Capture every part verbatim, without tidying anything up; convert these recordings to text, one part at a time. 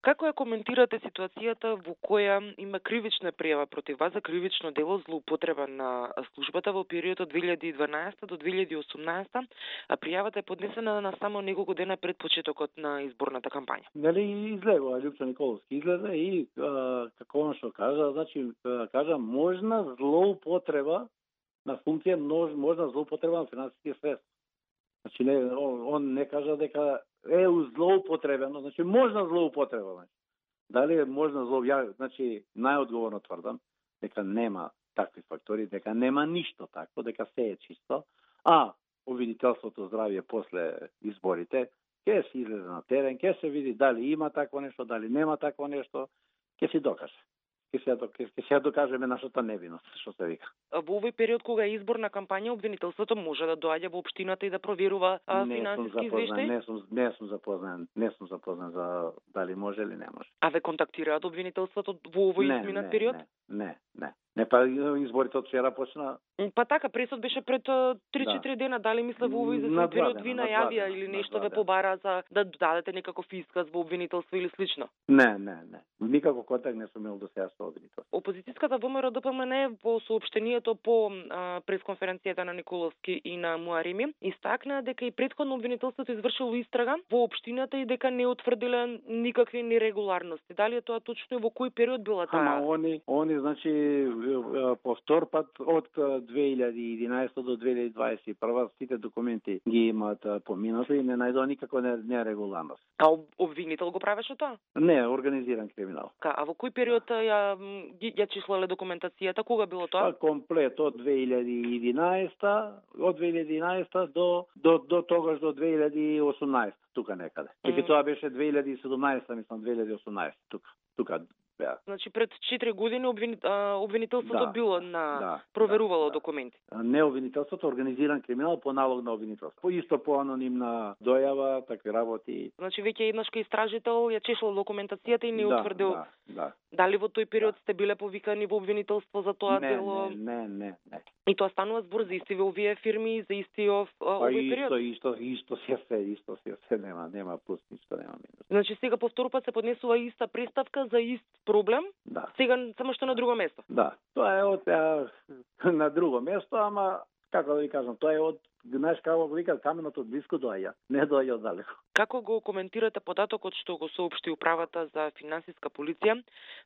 Како ја коментирате ситуацијата во која има кривична пријава против вас за кривично дело злоупотреба на службата во периодот од две илјади и дванаесета до две илјади и осумнаесета, а пријавата е поднесена на само неколку дена пред почетокот на изборната кампања? Нели излегува Лјупчо Николовски излезе и а, како он што кажа, значи кажа можна злоупотреба на функција, можна злоупотреба на финансиски средства. Значи не, он, он не кажа дека е злоупотребено, значи можна злоупотреба. Значи. Дали е можна злоупотреба? Значи најодговорно тврдам дека нема такви фактори, дека нема ништо такво, дека се е чисто, а обвинителството здравје после изборите ќе се излезе на терен, ќе се види дали има такво нешто, дали нема такво нешто, ќе се докаже. Ќе се ќе се докажеме нашата невиност, што се вика. Во овој период кога е изборна кампања, обвинителството може да доаѓа во општината и да проверува а, финансиски извештаи? Не сум не сум запознан, не сум запознан за дали може или не може. А ве контактираат обвинителството во овој изминат период? Не, не, не. Не, па изборите од вчера почна. Па така, пресод беше пред три-четири да. дена, дали мисле во овој известен период ви најавија или нешто ве побара за да дадете некаков исказ во обвинителство или слично? Не, не, не. Никако контакт не сум имал до сега со обвинителство. Опозицијската ВМРО Д П М Н во соопштението по пресконференцијата на Николовски и на Муарими истакна дека и претходно обвинителството извршило истрага во општината и дека не утврдиле никакви нерегуларности. Дали е тоа точно и во кој период била таа? Ама они, они значи по втор пат од две илјади и единаесета до две илјади и дваесет и прва сите документи ги имаат поминато и не најдоа никако нерегуларност. А обвинител го правеше тоа? Не, организиран криминал. Ка, а во кој период ја ја числале документацијата? Кога било тоа? Па комплет од две илјади и единаесета, од две илјади и единаесета до до до тогаш до две илјади и осумнаесета, тука некаде. Тики mm. тоа беше две илјади и седумнаесета, мислам две илјади и осумнаесета, тука. Тука. Да. Значи пред четири години обвини, обвинителството да, било на да, проверувало да, документи. Не обвинителството, организиран криминал по налог на обвинителство. По исто по анонимна дојава, такви работи. Значи веќе еднаш кај истражител ја чешал документацијата и не да, утврдил. Да, да. Дали во тој период да. сте биле повикани во обвинителство за тоа не, дело? Не, не, не. И тоа станува збор за исти овие фирми, за исти ов, овој период? Па исто, исто, исто се се, исто се се, нема, нема плюс, ништо нема минус. Значи сега по втор пат се поднесува иста преставка за ист проблем? Да. Сега само што на друго место? Да. Тоа е од на друго место, ама како да ви кажам, тоа е од знаеш како го викаат каменото од блиску доаѓа, не доаѓа од далеко. Како го коментирате податокот што го соопшти управата за финансиска полиција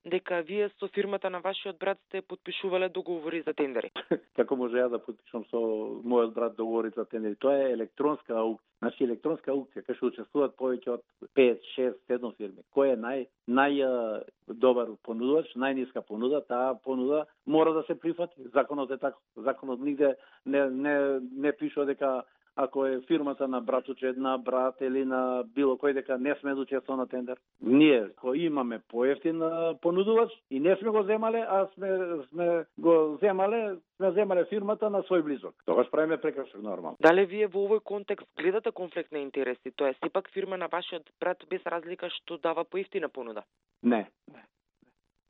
дека вие со фирмата на вашиот брат сте потпишувале договори за тендери? Како може ја да потпишам со мојот брат договори за тендери? Тоа е електронска аукција. Значи електронска аукција кај што учествуваат повеќе од пет, шест, седум фирми. Кој е нај нај добар понудувач, најниска понуда, таа понуда мора да се прифати. Законот е така. Законот нигде не не не пишува дека ако е фирмата на братучед, на брат или на било кој дека не сме да учествуваме на тендер. Ние кој имаме поевтин понудувач и не сме го земале, а сме сме го земале, сме земале фирмата на свој близок. Тогаш правиме прекршок нормално. Дали вие во овој контекст гледате конфликт на интереси? Тоа е сепак фирма на вашиот брат без разлика што дава поевтина понуда? Не, не.